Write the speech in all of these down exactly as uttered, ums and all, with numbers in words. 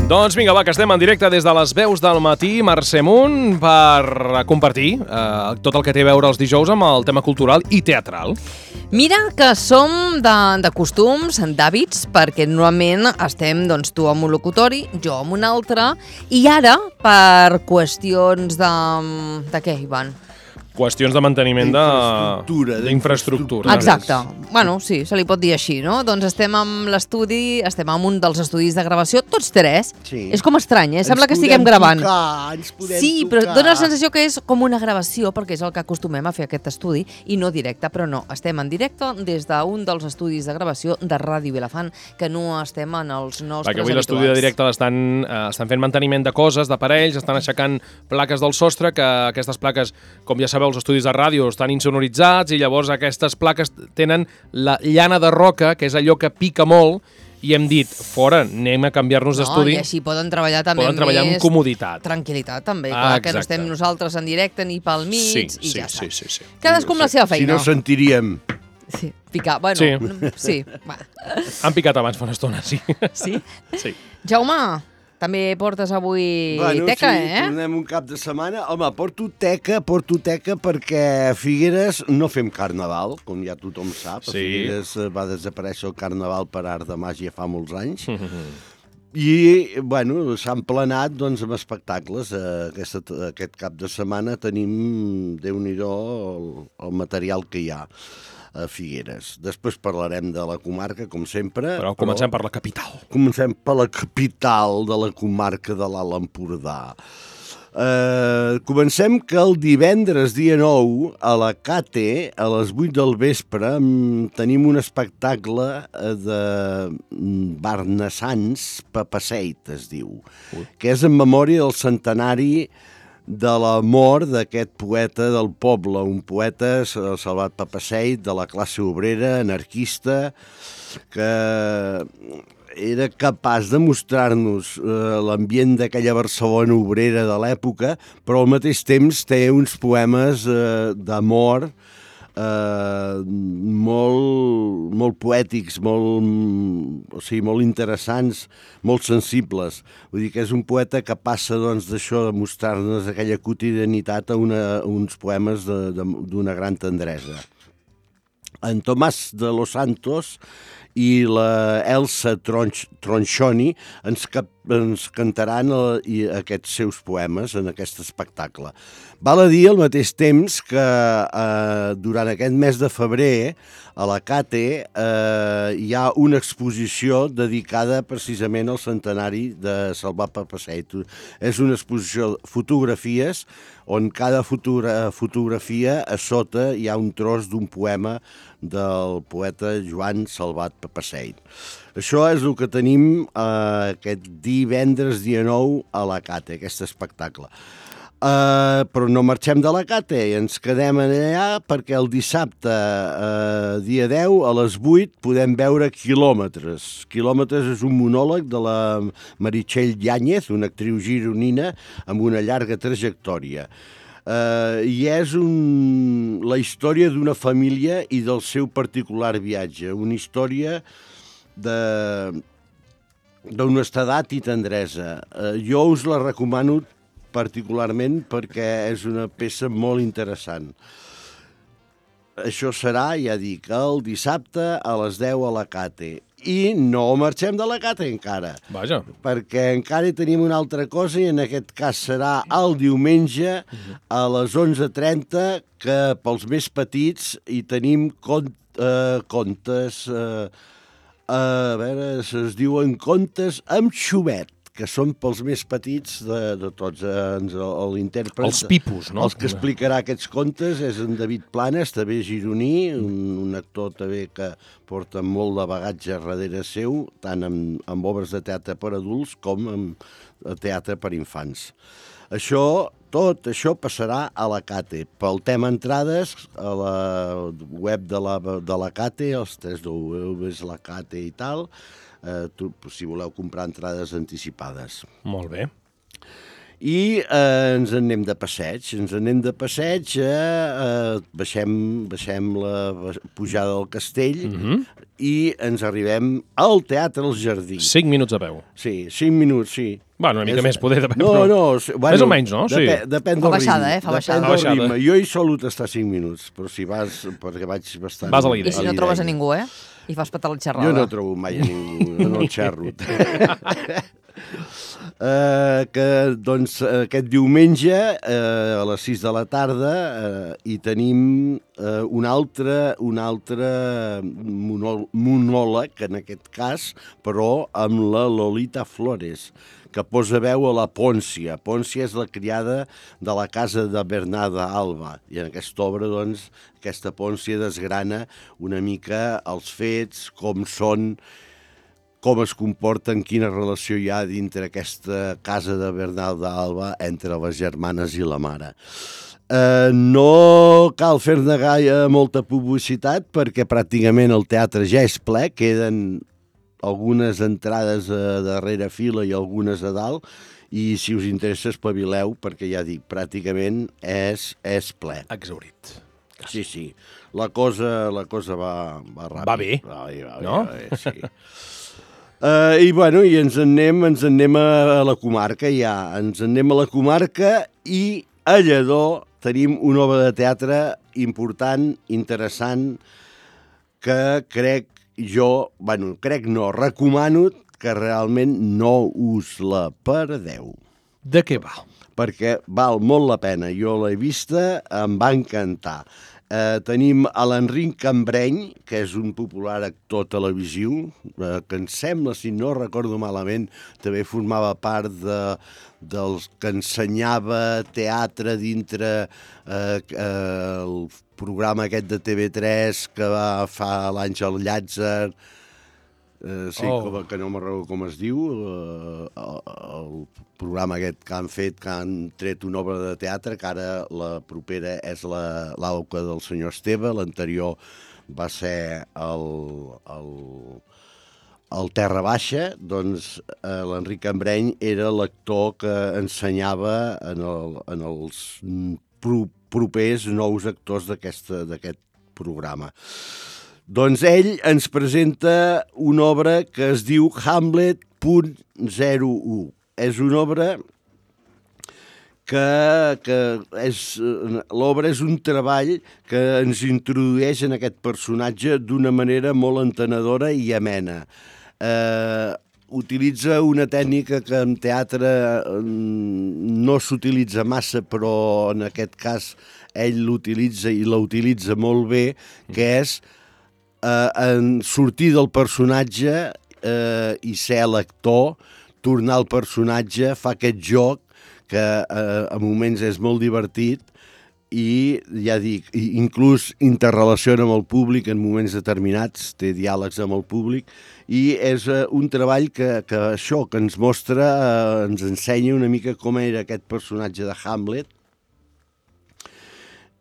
Doncs vinga, va, que estem en directe des de les veus del matí, Mercè Munt, per compartir eh, tot el que té a veure els dijous amb el tema cultural i teatral. Mira que som de, de costums, d'hàbits, perquè normalment estem doncs, tu amb un locutori, jo amb un altre, i ara, per qüestions de... de què, Ivan? Qüestions de manteniment d'infraestructura. d'infraestructura. Exacte. Bueno, sí, se li pot dir així, no? Doncs estem amb l'estudi, estem en un dels estudis de gravació, tots tres. Sí. És com estrany, eh? Sembla Ens que estiguem podem gravant. Tocar, ens podem Sí, tocar. però dona la sensació que és com una gravació, perquè és el que acostumem a fer aquest estudi, i no directe, però no. Estem en directe des d'un dels estudis de gravació de Ràdio Vilafant, que no estem en els nostres Perquè avui habituals. l'estudi de directe l'estan eh, estan fent manteniment de coses, d'aparells, estan aixecant plaques del sostre, que aquestes plaques, com ja sabeu, els estudis de ràdio estan insonoritzats i llavors aquestes plaques tenen la llana de roca, que és allò que pica molt, i hem dit, fora, anem a canviar-nos d'estudi. No, i així poden treballar també Poden treballar amb més comoditat. tranquil·litat, també. Ah, Clar, que no exacte. estem nosaltres en directe ni pel mig, Sí, i sí, ja sí, està. sí, sí. Cadascú amb la seva Si feina. no sentiríem. Sí, picar. Bueno, Sí. sí. sí. Va. Han picat abans fa una estona, sí. Sí? Sí. Jaume, també portes avui teca, sí, eh? tornem un cap de setmana. Home, porto teca, porto teca perquè a Figueres no fem carnaval, com ja tothom sap. A Sí. Figueres eh, va desaparèixer el carnaval per art de màgia fa molts anys. I, bueno, s'han planat doncs, amb espectacles. Eh, aquesta, aquest cap de setmana tenim, Déu-n'hi-do, el, el material que hi ha a Figueres. Després parlarem de la comarca, com sempre. Però comencem per la capital. Comencem per la capital de la comarca de l'Alt Empordà. Uh, comencem que el divendres dia nou a la Cate, a les vuit del vespre, mm, tenim un espectacle eh, de mm, Barnassans Papaseit, es diu, Ui. que és en memòria del centenari de la mort d'aquest poeta del poble, un poeta, Salvat Papaseit, de la classe obrera, anarquista, que era capaç de mostrar-nos eh, l'ambient d'aquella Barcelona obrera de l'època, però al mateix temps té uns poemes eh, d'amor eh, molt, molt poètics, molt, o sigui, molt interessants, molt sensibles. Vull dir que és un poeta que passa doncs, d'això, de mostrar-nos aquella quotidianitat a, una, a uns poemes d'una gran tendresa. En Tomàs de los Santos i la Elsa Tronch, Tronchoni ens, cap, ens cantaran el, i aquests seus poemes en aquest espectacle. Val a dir al mateix temps que eh, durant aquest mes de febrer a la Cate eh, hi ha una exposició dedicada precisament al centenari de Salvat Papaseit. És una exposició de fotografies on cada fotogra fotografia a sota hi ha un tros d'un poema del poeta Joan Salvat Papaseit. Això és el que tenim eh, aquest divendres dia nou a la Cate, aquest espectacle. Uh, però no marxem de la Cate i ens quedem allà perquè el dissabte, uh, dia deu, a les vuit, podem veure Quilòmetres. Quilòmetres és un monòleg de la Meritxell Yáñez, una actriu gironina amb una llarga trajectòria. Uh, I és un, la història d'una família i del seu particular viatge, una història de d'honestedat i tendresa. Uh, jo us la recomano particularment perquè és una peça molt interessant. Això serà, ja dic, el dissabte a les deu a la Cate. I no marxem de la Cate encara. Vaja. Perquè encara hi tenim una altra cosa i en aquest cas serà el diumenge a les onze trenta, que pels més petits hi tenim cont, eh, contes, eh, a veure, es diuen contes amb xumet, que són pels més petits de, de tots. Eh, l'intèrpret... Els pipos, no? Els que explicarà aquests contes és en David Planes, també gironí, un, un actor també que porta molt de bagatge darrere seu, tant amb, amb obres de teatre per adults com amb teatre per infants. Això, tot això passarà a la Cate. Pel tema entrades, a la web de la, de la Cate, els tres w és la Cate i tal, Eh, tu, si voleu comprar entrades anticipades. Molt bé. I eh, ens anem de passeig, ens anem de passeig, eh, eh, baixem, baixem la pujada del castell, mm-hmm. i ens arribem al Teatre El Jardí. Cinc minuts a peu. Sí, cinc minuts, sí. Bueno, una mica És... més poder de peu. No, però... no, bueno, més o menys, no? Sí. Depèn, depèn Fa del baixada, ritme. eh? Fa baixada. Depèn del Fa baixada. ritme. Jo hi solo estar cinc minuts, però si vas, perquè vaig bastant... Vas a la I si no trobes a ningú, eh? I fas patar la xerrada. Jo no trobo mai a ningú, no el xerro. Uh, que doncs aquest diumenge uh, a les sis de la tarda uh, hi tenim uh, un altre, un altre monò monòleg, en aquest cas, però amb la Lolita Flores, que posa veu a la Pòncia. Pòncia és la criada de la casa de Bernarda Alba, i en aquesta obra, doncs, aquesta Pòncia desgrana una mica els fets, com són, com es comporten, quina relació hi ha dintre aquesta casa de Bernarda Alba entre les germanes i la mare. Eh, no cal fer-ne gaire molta publicitat perquè pràcticament el teatre ja és ple, queden algunes entrades a darrere fila i algunes a dalt, i si us interessa espavileu, perquè ja dic, pràcticament és, és ple. Exaurit. Sí, sí, la cosa, la cosa va, va ràpid. Va bé, va bé, va bé, no? Va bé, sí. Uh, I bueno, i ens en anem, ens en anem a la comarca ja, ens en anem a la comarca i a Lledó tenim una obra de teatre important, interessant, que crec jo, bueno, crec no, recomano que realment no us la perdeu. De què va? Perquè val molt la pena, jo l'he vista, em va encantar. Eh, tenim a l'Enric Cambreny, que és un popular actor televisiu, eh, que em sembla, si no recordo malament, també formava part de, dels que ensenyava teatre dintre eh, eh, el programa aquest de T V tres que va fa l'Àngel Llàtzer, eh, sí, Oh. com, que no me'n recordo com es diu, eh, el, el programa aquest que han fet, que han tret una obra de teatre, que ara la propera és la, l'Auca del senyor Esteve, l'anterior va ser el, el, el Terra Baixa, doncs eh, l'Enric Cambreny era l'actor que ensenyava en, el, en els pro, propers nous actors d'aquest programa. Doncs ell ens presenta una obra que es diu Hamlet punt zero u. És una obra que, que és, l'obra és un treball que ens introdueix en aquest personatge d'una manera molt entenedora i amena. Eh, utilitza una tècnica que en teatre no s'utilitza massa, però en aquest cas ell l'utilitza i la utilitza molt bé, que és eh, en sortir del personatge eh, i ser l'actor, tornar al personatge, fa aquest joc que eh, a moments és molt divertit i, ja dic, inclús interrelaciona amb el públic en moments determinats, té diàlegs amb el públic, i és eh, un treball que, que això, que ens mostra, eh, ens ensenya una mica com era aquest personatge de Hamlet,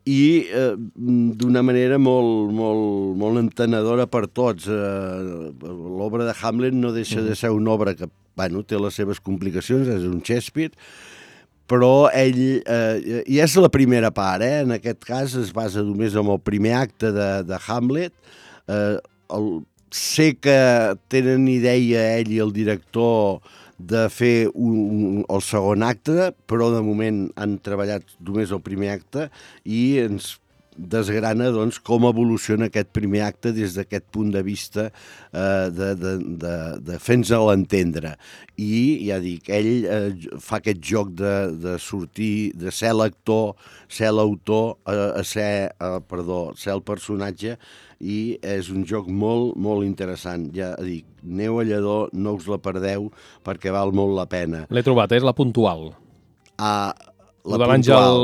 i eh, d'una manera molt, molt, molt entenedora per tots. Eh, l'obra de Hamlet no deixa de ser una obra que, bueno, té les seves complicacions, és un Shakespeare, però ell, eh, i és la primera part, eh? En aquest cas es basa només en el primer acte de, de Hamlet. Eh, el, sé que tenen idea ell i el director de fer un, un, el segon acte, però de moment han treballat només el primer acte i ens desgrana doncs, com evoluciona aquest primer acte des d'aquest punt de vista eh, de, de, de, de fer-nos-el entendre. I, ja dic, ell eh, fa aquest joc de, de sortir, de ser l'actor, ser l'autor, eh, a ser, eh, perdó, ser el personatge, i és un joc molt, molt interessant. Ja dic, aneu a Lledó, no us la perdeu, perquè val molt la pena. L'he trobat, és la puntual. Ah, La de l'Àngel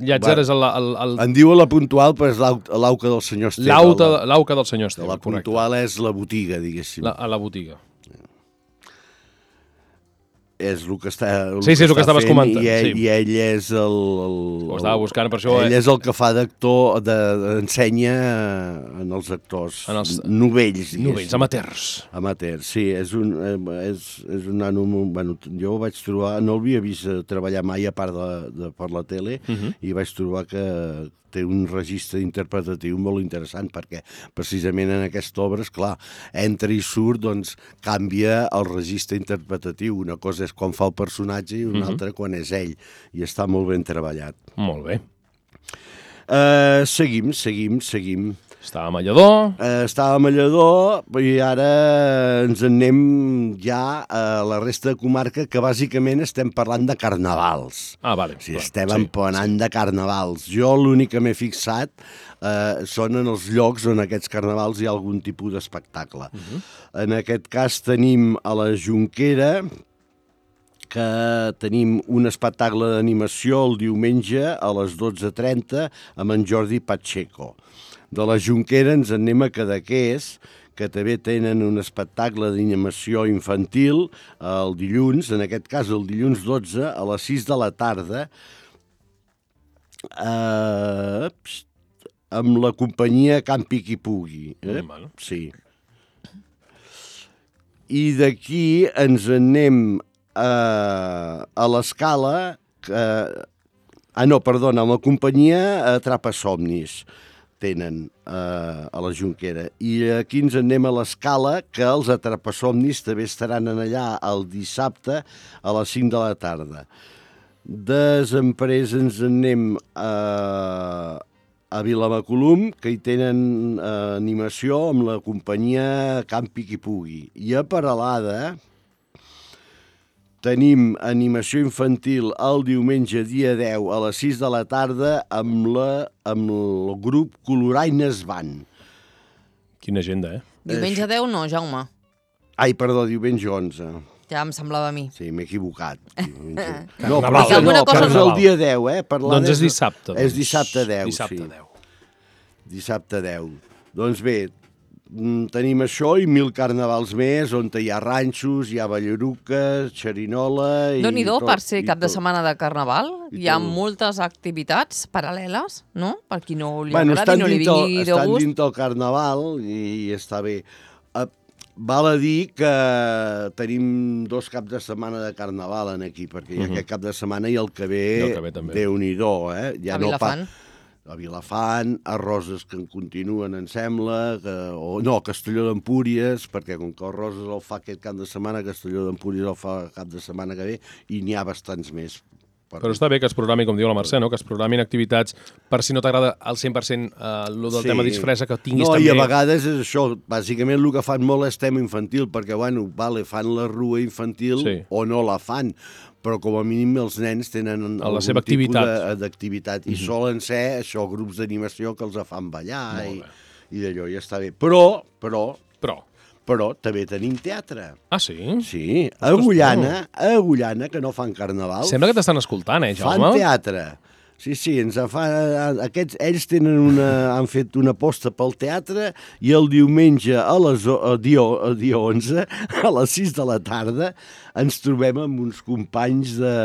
Llàtzer és el, el, el... En diuen la puntual, però és l'auca del senyor Esteve. L'auca del senyor Esteve, la puntual correcte. És la botiga, diguéssim. La, a la botiga. És el que està el Sí, sí, és el que estaves fent, comentant. I ell, sí. i ell és el... el Ho estava buscant, per això... Ell eh? és el que fa d'actor, de, ensenya en els actors en els... novells. Novells, amateurs. Amateurs, sí. És un, és, és un nano... Bueno, jo ho vaig trobar... No l'havia vist treballar mai a part de, de per la tele, uh -huh. i vaig trobar que té un registre interpretatiu molt interessant, perquè precisament en aquesta obra, esclar, entra i surt, doncs canvia el registre interpretatiu. Una cosa és quan fa el personatge i una Mhm. altra quan és ell, i està molt ben treballat. Molt bé. Uh, seguim, seguim, seguim. Estàvem a Lledó. Uh, estàvem a Lledó i ara ens en anem ja a la resta de comarca, que bàsicament estem parlant de carnavals. Ah, vale. O sigui, clar, estem sí, empenant sí. de carnavals. Jo l'únic que m'he fixat eh, són en els llocs on aquests carnavals hi ha algun tipus d'espectacle. Uh-huh. En aquest cas tenim a la Jonquera, que tenim un espectacle d'animació el diumenge a les dotze trenta amb en Jordi Pacheco. De la Jonquera ens en anem a Cadaqués, que també tenen un espectacle d'animació infantil el dilluns, en aquest cas el dilluns dotze a les sis de la tarda, eh, amb la companyia Campi qui pugui. Eh? Mm, bueno. Sí. I d'aquí ens en anem a, a l'Escala, que, ah no, perdona, amb la companyia Atrapa Somnis tenen eh, a la Jonquera. I aquí ens en anem a l'Escala, que els Atrapasomnis també estaran en allà el dissabte a les cinc de la tarda. Després ens en anem a, a Vilamacolum, que hi tenen eh, animació amb la companyia Campi qui pugui. I a Peralada tenim animació infantil el diumenge dia deu a les sis de la tarda amb, la, amb el grup Coloraines Band. Quina agenda, eh? Diumenge deu no, Jaume. Ai, perdó, diumenge onze. Ja em semblava a mi. Sí, m'he equivocat. Diumenge. No, però, però no, alguna cosa però és el dia deu, eh? Peralada Doncs és dissabte. Doncs. És dissabte deu, dissabte sí. deu. Dissabte deu. Doncs bé, tenim això i mil carnavals més, on hi ha ranxos, hi ha ballaruques, xerinola... Déu-n'hi-do, tot, per ser i cap de tot. setmana de Carnaval, I hi ha tot. moltes activitats paral·leles, no? Per qui no li Bueno, agradi, estan no li dintre, vingui de estan gust. dintre el Carnaval i, i està bé. Uh, val a dir que tenim dos caps de setmana de Carnaval en aquí, perquè hi ha Mhm. aquest cap de setmana i el que ve, I el que ve també. Déu-n'hi-do, eh? Ja A no Vilafant. a Vilafant, a Roses, que en continuen, em sembla, que, o no, Castelló d'Empúries, perquè com que el Roses el fa aquest cap de setmana, Castelló d'Empúries el fa cap de setmana que ve, i n'hi ha bastants més. Però està bé que es programi, com diu la Mercè, no? Que es programin activitats per si no t'agrada al cent per cent eh, el del Sí. tema disfressa, que tinguis no, també... i a vegades és això, bàsicament el que fan molt és tema infantil, perquè, bueno, vale, fan la rua infantil Sí. o no la fan, però com a mínim els nens tenen la algun seva tipus activitat. de- d'activitat, i Mhm. solen ser això, grups d'animació que els fan ballar Molt i, bé. i d'allò, ja està bé. Però, però, Però... però també tenim teatre. Ah, sí? Sí, a Agullana, a Agullana, que no fan carnaval, Sembla que t'estan escoltant, eh, fan Jaume? teatre. Sí, sí, ens en fa, aquests, ells tenen una, han fet una aposta pel teatre i el diumenge a les, a dia, a dia onze, a les sis de la tarda, ens trobem amb uns companys de,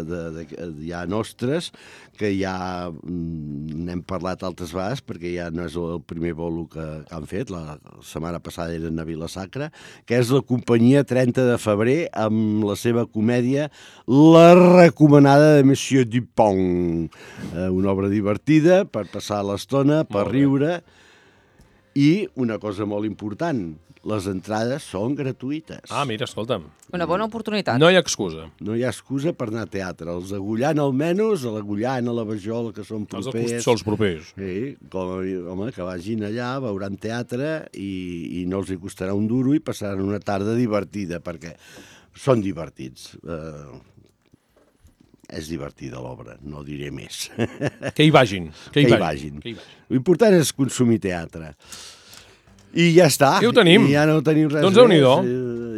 de, de, de, ja nostres, que ja mm, n'hem parlat altres vegades, perquè ja no és el primer bolo que, que han fet, la setmana passada eren a Vila-sacra, que és la companyia trenta de febrer, amb la seva comèdia La recomanada de Monsieur Dupont. Eh, una obra divertida per passar l'estona, per Molt bé. riure, i una cosa molt important, les entrades són gratuïtes. Ah, mira, escolta'm. Una bona oportunitat. No hi ha excusa. No hi ha excusa per anar a teatre. Els d'Agullana almenys, a l'Agullana, a la Vajol, que són Els propers... dels sols propers. Sí, com, home, que vagin allà, veuran teatre i, i no els hi costarà un duro i passaran una tarda divertida, perquè són divertits. Eh, és divertida l'obra, no diré més. Que hi vagin. Que hi, Que hi vagin. vagin. Que hi vagin. L'important és consumir teatre. I ja està. I ho tenim. I ja no tenim res Doncs més. Déu-n'hi-do.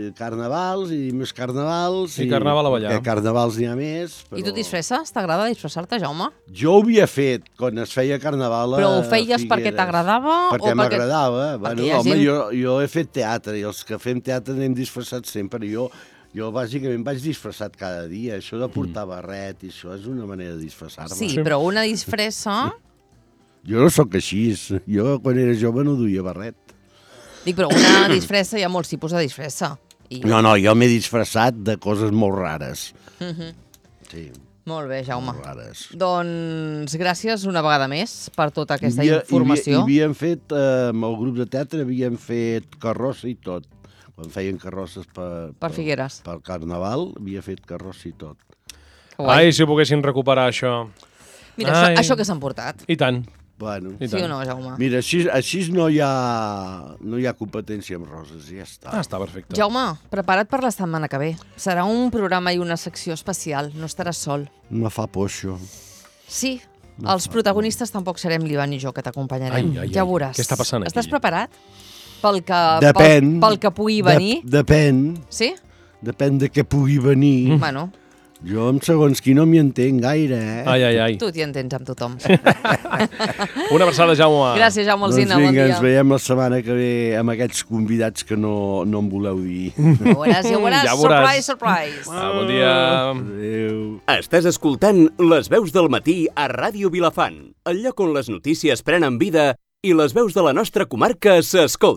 Eh, Carnavals i més carnavals. I carnaval a ballar. Que carnavals n'hi ha més. Però... I tu disfresses? T'agrada disfressar-te, Jaume? Jo ho havia fet quan es feia carnaval a Però ho feies perquè Figueres. t'agradava? Perquè o m'agradava. Bueno, hi ha home, gent- jo, jo he fet teatre i els que fem teatre anem disfressats sempre. Jo, jo bàsicament vaig disfressat cada dia. Això de portar barret i això és una manera de disfressar-me. Sí, però una disfressa... Jo no sóc així. Jo quan era jove no duia barret. Dic, però una disfressa, hi ha molts tipus de disfressa. I... No, no, jo m'he disfressat de coses molt rares. Mhm. Sí. Molt bé, Jaume. Molt rares. Doncs gràcies una vegada més per tota aquesta Hi havia- informació. Hi havia, havíem fet, eh, amb el grup de teatre, havíem fet carrossa i tot. Quan feien carrosses per, Per Figueres. per Carnaval, havia fet carrossa i tot. Que guai. Ai, si poguessin recuperar això. Mira, això, Ai. això que s'han portat. I tant. Bueno, I Sí o tant. no, Jaume? mira, així, així no, hi ha, no hi ha competència amb roses, ja està. Ah, està perfecte. Jaume, prepara't per la setmana que ve. Serà un programa i una secció especial. No estaràs sol. Me fa por això. Sí, els protagonistes tampoc serem l'Ivan i jo, que t'acompanyarem. Ai, ai, ai. Ja ho veuràs. Què està passant aquí? Estàs preparat? Pel que, Depèn. Pel, pel que pugui venir? De, depèn. Sí? Depèn de què pugui venir. Bueno, Jo, amb segons qui no m'hi entenc gaire, eh? Ai, ai, ai. tu t'hi entens amb tothom. Una abraçada, Jaume. Gràcies, Jaume Doncs Alsina. Bon vinga, dia. ens veiem la setmana que ve amb aquests convidats que no, no em voleu dir. Ja ho veuràs, ja ho veuràs. Ja ho veuràs. Surprise, surprise. Ah, bon dia. Adéu. Estàs escoltant Les veus del matí a Ràdio Vilafant, el lloc on les notícies prenen vida i les veus de la nostra comarca s'escolten.